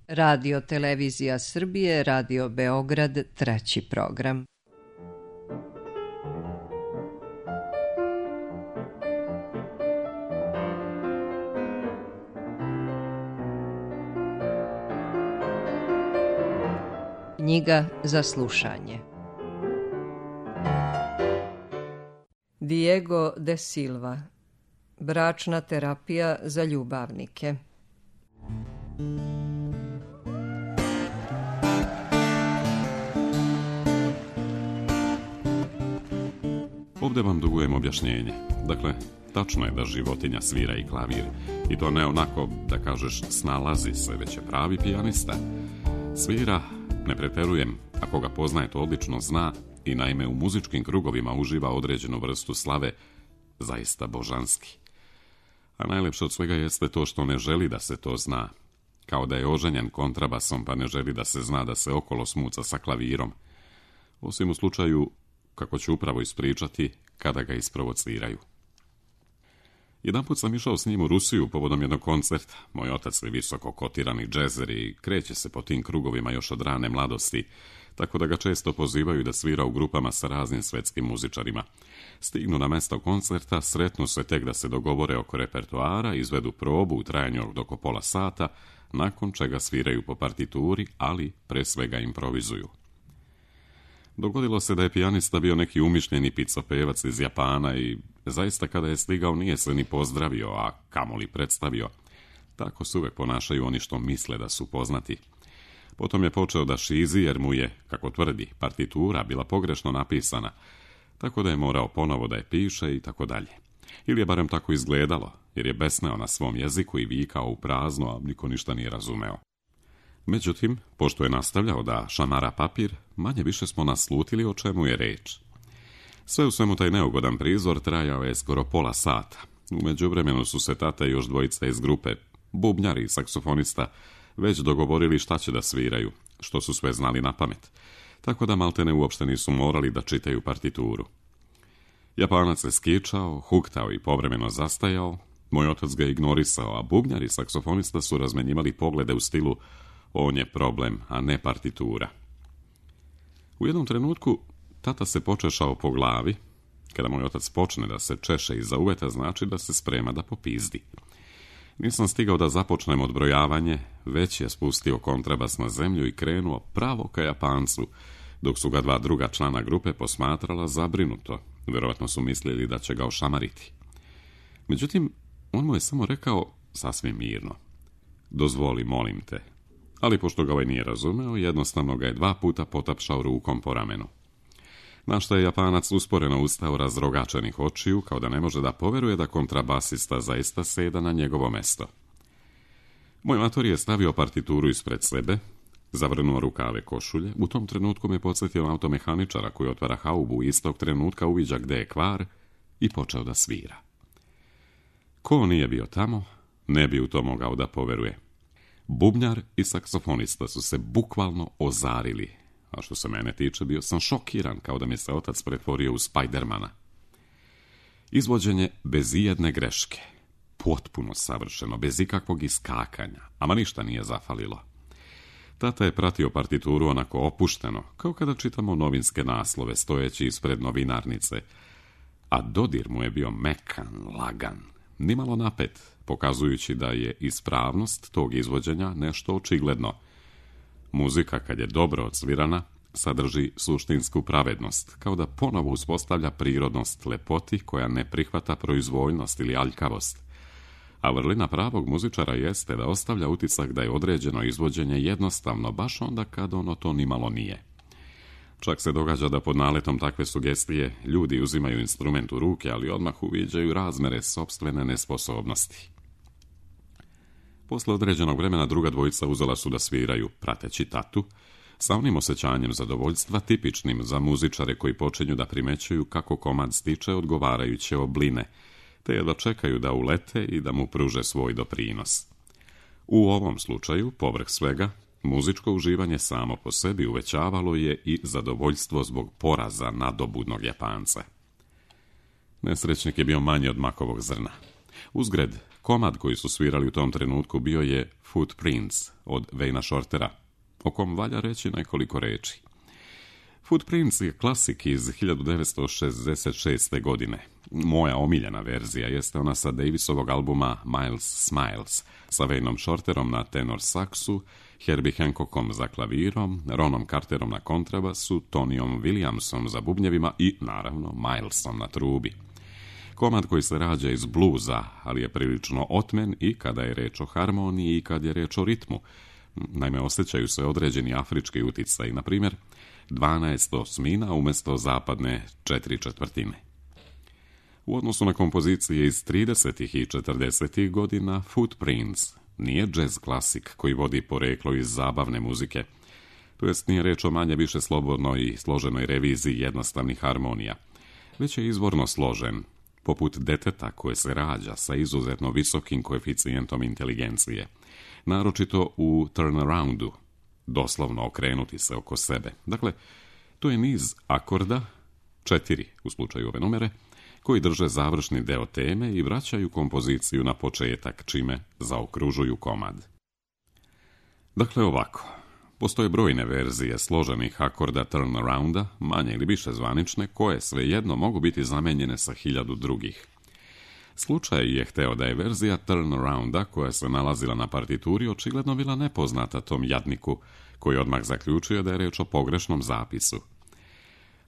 Radio Televizija Srbije, Radio Beograd, 3. program. Knjiga za slušanje. Diego de Silva. Bračna terapija za ljubavnike. Ovdje vam dugujem objašnjenje. Dakle, tačno je da životinja svira i klavir. I to ne onako, da kažeš, snalazi se, već je pravi pijanista. Svira, ne preterujem, ako ga poznaje to odlično zna i naime u muzičkim krugovima uživa određenu vrstu slave, zaista božanski. A najlepše od svega jeste to što ne želi da se to zna. Kao da je oženjen kontrabasom pa ne želi da se zna da se okolo smuca sa klavirom. Osim u slučaju, kako ću upravo ispričati, kada ga isprovociraju. Jedanput sam išao s njim u Rusiju povodom jednog koncerta. Moj otac je visoko kotirani džezer i kreće se po tim krugovima još od rane mladosti, tako da ga često pozivaju da svira u grupama sa raznim svetskim muzičarima. Stignu na mesto koncerta, sretnu se tek da se dogovore oko repertoara, izvedu probu u trajanju od oko pola sata, nakon čega sviraju po partituri, ali pre svega improvizuju. Dogodilo se da je pijanista bio neki umišljeni picopevac iz Japana i zaista kada je stigao nije se ni pozdravio, a kamoli predstavio. Tako se uvek ponašaju oni što misle da su poznati. Potom je počeo da šizi jer mu je, kako tvrdi, partitura bila pogrešno napisana, tako da je morao ponovo da je piše i tako dalje. Ili je barem tako izgledalo, jer je besneo na svom jeziku i vikao u prazno, a niko ništa nije razumeo. Međutim, pošto je nastavljao da šamara papir, manje više smo naslutili o čemu je reč. Sve u svemu taj neugodan prizor trajao je skoro pola sata. U međuvremenu su se tata i još dvojica iz grupe, bubnjar i saksofonista, već dogovorili šta će da sviraju, što su sve znali na pamet, tako da maltene uopšte nisu morali da čitaju partituru. Japanac se skičao, huktao i povremeno zastajao, moj otac ga ignorisao, a bubnjar i saksofonista su razmenjivali poglede u stilu on je problem, a ne partitura. U jednom trenutku tata se počešao po glavi. Kada moj otac počne da se češe iza uveta, znači da se sprema da popizdi. Nisam stigao da započnem odbrojavanje, već je spustio kontrabas na zemlju i krenuo pravo ka Japancu, dok su ga dva druga člana grupe posmatrala zabrinuto. Vjerovatno su mislili da će ga ošamariti. Međutim, on mu je samo rekao sasvim mirno: dozvoli, molim te. Ali pošto ga ovaj nije razumeo, jednostavno ga je 2 puta potapšao rukom po ramenu. Na što je Japanac usporeno ustao razrogačenih očiju, kao da ne može da poveruje da kontrabasista zaista seda na njegovo mesto. Moj mator je stavio partituru ispred sebe, zavrnuo rukave košulje, u tom trenutku me podsjetio na automehaničara koji otvara haubu i istog trenutka uviđa gde je kvar i počeo da svira. Ko nije bio tamo, ne bi u to mogao da poveruje. Bubnjar i saksofonista su se bukvalno ozarili, a što se mene tiče bio sam šokiran kao da mi se otac pretvorio u Spidermana. Izvođenje bez ijedne greške, potpuno savršeno, bez ikakvog iskakanja, ama ništa nije zafalilo. Tata je pratio partituru onako opušteno, kao kada čitamo novinske naslove stojeći ispred novinarnice, a dodir mu je bio mekan, lagan, nimalo napet, pokazujući da je ispravnost tog izvođenja nešto očigledno. Muzika, kad je dobro odsvirana, sadrži suštinsku pravednost, kao da ponovo uspostavlja prirodnost lepoti koja ne prihvata proizvoljnost ili aljkavost. A vrlina pravog muzičara jeste da ostavlja utisak da je određeno izvođenje jednostavno, baš onda kad ono to nimalo nije. Čak se događa da pod naletom takve sugestije ljudi uzimaju instrument u ruke, ali odmah uviđaju razmere sopstvene nesposobnosti. Posle određenog vremena druga dvojica uzela su da sviraju, prateći tatu, sa onim osjećanjem zadovoljstva tipičnim za muzičare koji počinju da primećuju kako komad stiče odgovarajuće obline, te jedva čekaju da ulete i da mu pruže svoj doprinos. U ovom slučaju, povrh svega, muzičko uživanje samo po sebi uvećavalo je i zadovoljstvo zbog poraza nadobudnog Japanca. Nesrećnik je bio manji od makovog zrna. Uzgred, Komad koji su svirali u tom trenutku bio je Footprints od Wayna Shortera, o kom valja reći nekoliko reči. Footprints je klasik iz 1966. godine. Moja omiljena verzija jeste ona sa Davisovog albuma Miles Smiles, sa Waynom Shorterom na tenor saksu, Herbie Hancockom za klavirom, Ronom Carterom na kontrabasu, Tonyom Williamsom za bubnjevima i, naravno, Milesom na trubi. Komad koji se rađa iz bluza, ali je prilično otmen i kada je reč o harmoniji i kad je reč o ritmu. Naime, osjećaju se određeni afrički uticaj, na primjer 12 osmina umjesto zapadne 4/4. U odnosu na kompozicije iz 30. i 40. godina, Footprints nije jazz klasik koji vodi poreklo iz zabavne muzike, to jest nije reč o manje više slobodnoj i složenoj reviziji jednostavnih harmonija, već je izvorno složen, poput deteta koje se rađa sa izuzetno visokim koeficijentom inteligencije, naročito u turnaroundu, doslovno okrenuti se oko sebe. Dakle, to je niz akorda, 4 u slučaju ove numere, koji drže završni deo teme i vraćaju kompoziciju na početak, čime zaokružuju komad. Dakle, ovako. Postoje brojne verzije složenih akorda turnarounda, manje ili više zvanične, koje svejedno mogu biti zamenjene sa 1000 drugih. Slučaj je hteo da je verzija turnarounda koja se nalazila na partituri očigledno bila nepoznata tom jadniku, koji odmah zaključio da je reč o pogrešnom zapisu.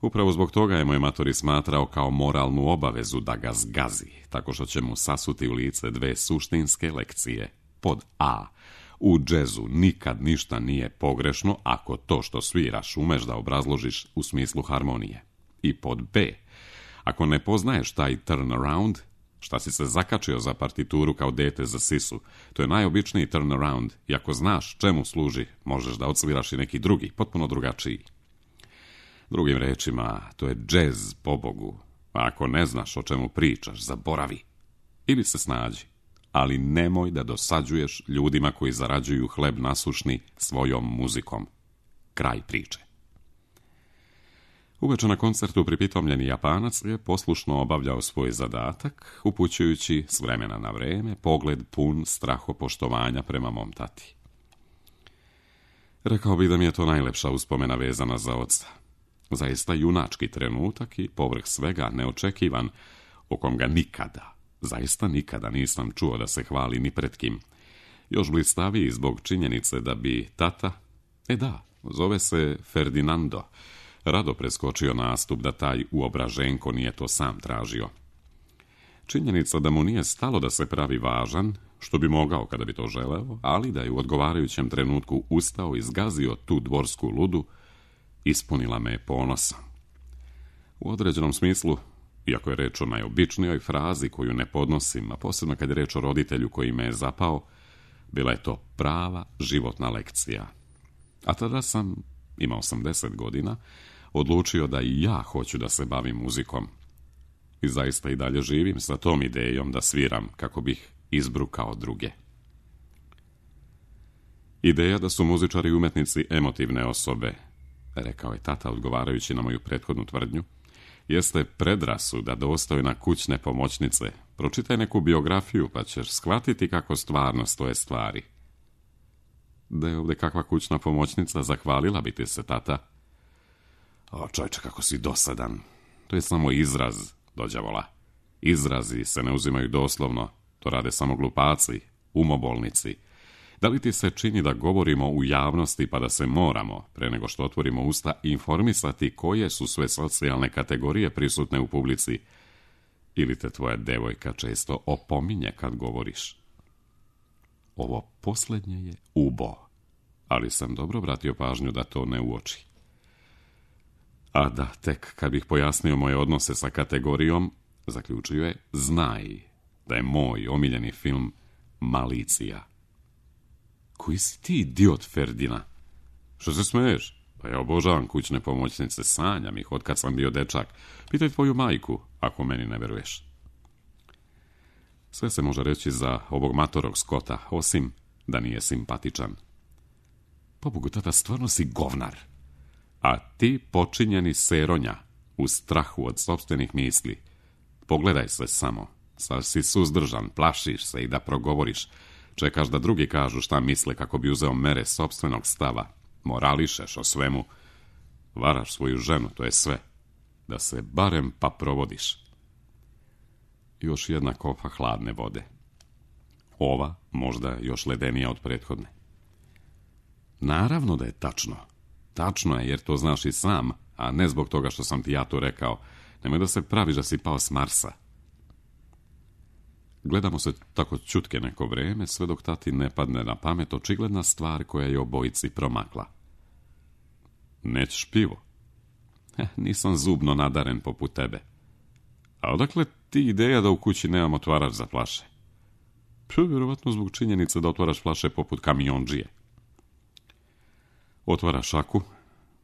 Upravo zbog toga je moj matori smatrao kao moralnu obavezu da ga zgazi, tako što će mu sasuti u lice 2 suštinske lekcije. Pod A. U džezu nikad ništa nije pogrešno ako to što sviraš umeš da obrazložiš u smislu harmonije. I pod B. Ako ne poznaješ taj turnaround, šta si se zakačio za partituru kao dete za sisu, to je najobičniji turnaround i ako znaš čemu služi, možeš da odsviraš i neki drugi, potpuno drugačiji. Drugim rečima, to je džez, pobogu. A ako ne znaš o čemu pričaš, zaboravi. Ili se snađi. Ali nemoj da dosađuješ ljudima koji zarađuju hleb nasušni svojom muzikom. Kraj priče. Uveče na koncertu pripitomljeni Japanac je poslušno obavljao svoj zadatak, upućujući s vremena na vreme pogled pun strahopoštovanja prema mom tati. Rekao bi da mi je to najlepša uspomena vezana za oca. Zaista junački trenutak i povrh svega neočekivan, o kom ga nikada, zaista nikada nisam čuo da se hvali ni pred kim. Još blistaviji zbog činjenice da bi tata, zove se Ferdinando, rado preskočio nastup da taj uobraženko nije to sam tražio. Činjenica da mu nije stalo da se pravi važan, što bi mogao kada bi to želeo, ali da je u odgovarajućem trenutku ustao i zgazio tu dvorsku ludu, ispunila me ponosom. U određenom smislu, iako je reč o najobičnijoj frazi koju ne podnosim, a posebno kad je reč o roditelju koji me je zapao, bila je to prava životna lekcija. A tada sam, imao sam 10 godina, odlučio da i ja hoću da se bavim muzikom. I zaista i dalje živim sa tom idejom da sviram kako bih izbrukao druge. Ideja da su muzičari i umetnici emotivne osobe, rekao je tata odgovarajući na moju prethodnu tvrdnju, jeste predrasuda dostojna kućne pomoćnice. Pročitaj neku biografiju pa ćeš shvatiti kako stvarno stoje stvari. Da je ovdje kakva kućna pomoćnica, zahvalila bi ti se, tata. O, čovječe, kako si dosadan. To je samo izraz, dođavola. Izrazi se ne uzimaju doslovno, to rade samo glupaci, umobolnici. Da li ti se čini da govorimo u javnosti pa da se moramo, pre nego što otvorimo usta, informisati koje su sve socijalne kategorije prisutne u publici? Ili te tvoja devojka često opominje kad govoriš? Ovo posljednje je ubo, ali sam dobro vratio pažnju da to ne uoči. A da, tek kad bih pojasnio moje odnose sa kategorijom, zaključio je, znaj da je moj omiljeni film Malicija. Koji si ti idiot, Ferdina? Što se smeješ? Pa ja obožavam kućne pomoćnice, sanjam ih od kad sam bio dečak. Pitaj tvoju majku, ako meni ne veruješ. Sve se može reći za ovog matorog Skota, osim da nije simpatičan. Pobogu, tata, stvarno si govnar. A ti počinjeni seronja, u strahu od sopstvenih misli. Pogledaj se samo. Sad si suzdržan, plašiš se i da progovoriš. Čekaš da drugi kažu šta misle kako bi uzeo mere sopstvenog stava. Morališeš o svemu. Varaš svoju ženu, to je sve. Da se barem pa provodiš. Još jedna kopa hladne vode. Ova možda još ledenija od prethodne. Naravno da je tačno. Tačno je jer to znaš i sam, a ne zbog toga što sam ti ja to rekao. Nemoj da se praviš da si pao s Marsa. Gledamo se tako ćutke neko vreme, sve dok tati ne padne na pamet očigledna stvar koja je obojici promakla. Nećeš pivo? Nisam zubno nadaren poput tebe. A odakle ti ideja da u kući nemam otvarač za flaše? Vjerovatno zbog činjenice da otvaraš flaše poput kamiondžije. Otvara šaku,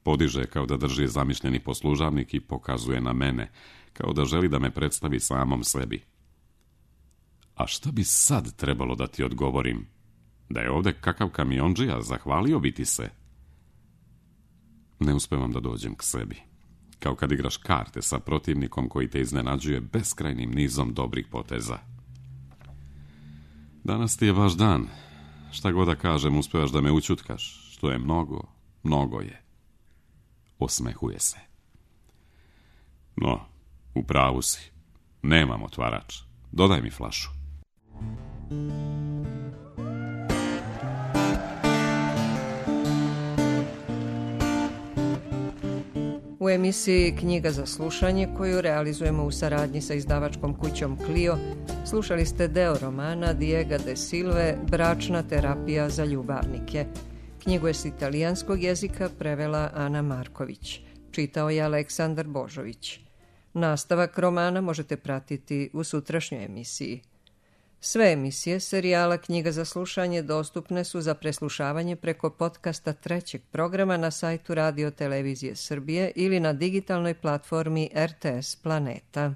podiže kao da drži zamišljeni poslužavnik i pokazuje na mene, kao da želi da me predstavi samom sebi. A šta bi sad trebalo da ti odgovorim? Da je ovde kakav kamiondžija, zahvalio bi ti se. Ne uspevam da dođem k sebi. Kao kad igraš karte sa protivnikom koji te iznenađuje beskrajnim nizom dobrih poteza. Danas ti je vaš dan. Šta god da kažem, uspevaš da me učutkaš, što je mnogo, mnogo je. Osmehuje se. No, u pravu si. Nemam otvarač. Dodaj mi flašu. U emisiji Knjiga za slušanje, koju realizujemo u saradnji sa izdavačkom kućom Clio, slušali ste deo romana Diega de Silve Bračna terapija za ljubavnike. Knjigu je s italijanskog jezika prevela Ana Marković. Čitao je Aleksandar Božović. Nastavak romana možete pratiti u sutrašnjoj emisiji. Sve emisije serijala Knjiga za slušanje dostupne su za preslušavanje preko podcasta trećeg programa na sajtu Radio Televizije Srbije ili na digitalnoj platformi RTS Planeta.